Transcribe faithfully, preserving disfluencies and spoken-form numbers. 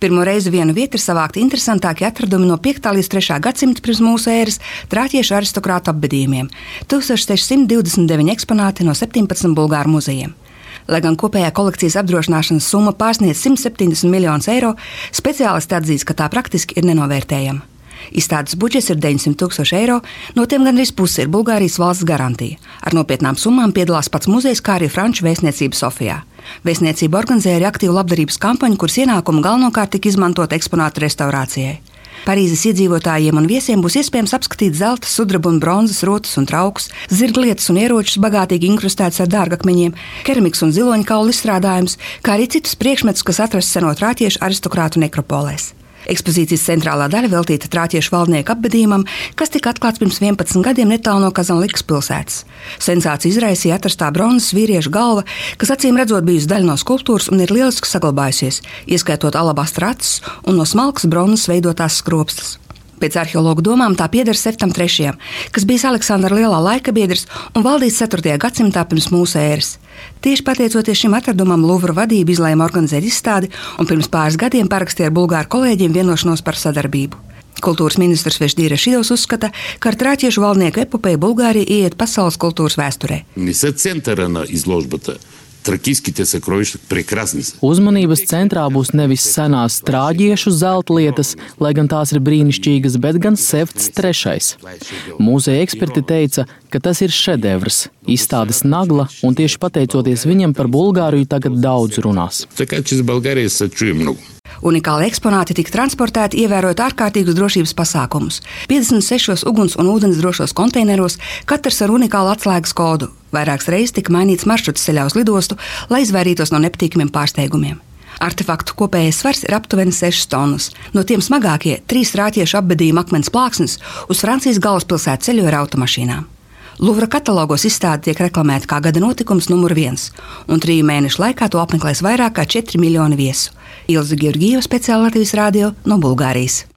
Pirmo reizi vienu vietu ir savākti interesantākie atradumi no piektā līdz trešā gadsimta pirms mūsu ēras trāķiešu aristokrātu apbedījumiem – tūkstoš seši simti divdesmit deviņi eksponāti no septiņpadsmit bulgāru muzejiem. Lai gan kopējā kolekcijas apdrošināšanas summa pārsniedz simt septiņdesmit miljonus eiro, speciālisti atzīst, ka tā praktiski ir nenovērtējama. Izstādes budžets ir deviņsimt tūkstoši eiro, no tiem gandrīz pusi ir Bulgārijas valsts garantija. Ar nopietnām summām piedalās pats muzejs, kā arī Franču vēstniecība Sofijā. Vēstniecība organizēja arī aktīvu labdarības kampaņu, kuras ienākumu galvenokārt tika izmantot eksponātu restaurācijai. Parīzes iedzīvotājiem un viesiem būs iespējams apskatīt zelta, sudraba un bronzas rotas un traukus, zirglietas un ieročus bagātīgi inkrustētus ar dārgakmeņiem, keramikas un ziloņkaulu izstrādājumus, kā arī citus priekšmetus, kas atrasts seno trāķiešu aristokrātu nekropolēs. Ekspozīcijas centrālā daļa veltīta trāķiešu valdnieku apbedījumam, kas tika atklāts pirms vienpadsmit gadiem netālu no Kazanlikas pilsētas. Sensāciju izraisīja atrastā bronzas vīriešu galva, kas acīm redzot bijusi daļa no skulptūras un ir lieliski saglabājusies, ieskaitot alabastra acis un no smalkas bronzas veidotās skropstas. Pēc arheologu domām tā pieder Septam trešajam, kas bijis Aleksandra Lielā laika biedrs un valdījis ceturtajā gadsimtā pirms mūsu ēras. Tieši pateicoties šim atradumam Luvra vadība izlēma organizēt izstādi un pirms pāris gadiem parakstīja ar bulgāru kolēģiem vienošanos par sadarbību. Kultūras ministrs Vešdīra Šidovs uzskata, ka ar trāķiešu valdnieku epopeju Bulgārija ieiet pasaules kultūras vēsturē. Тракийските сокровища прекрасни са. Uzmanības centrā būs nevis senās trāģiešu zeltlietas, lai gan tās ir brīnišķīgas, bet gan Septs trešais. Mūzeja eksperti teica, ka tas ir šedevrs, izstādes nagla, un tieši pateicoties viņam par Bulgāriju tagad daudz runās. Така че с България се чуе много. Unikāli eksponāti tika transportēti, ievērojot ārkārtīgus drošības pasākumus. piecdesmit sešos uguns un ūdens drošos konteineros, katrs ar unikālu atslēgas kodu. Vairākas reizes tika mainīts maršruts ceļā uz lidostu, lai izvairītos no nepatīkamiem pārsteigumiem. Artefaktu kopējais svars ir aptuveni sešas tonnas. No tiem smagākie trīs trāķiešu apbedījuma akmens plāksnes uz Francijas galvaspilsētu ceļo ar automašīnām. Luvra katalogos izstāde tiek reklamēta kā gada notikums numur viens, un triju mēnešu laikā to apmeklēs vairāk kā četri miljoni viesu. Ilze Georgieva, speciāli Latvijas radio no Bulgārijas.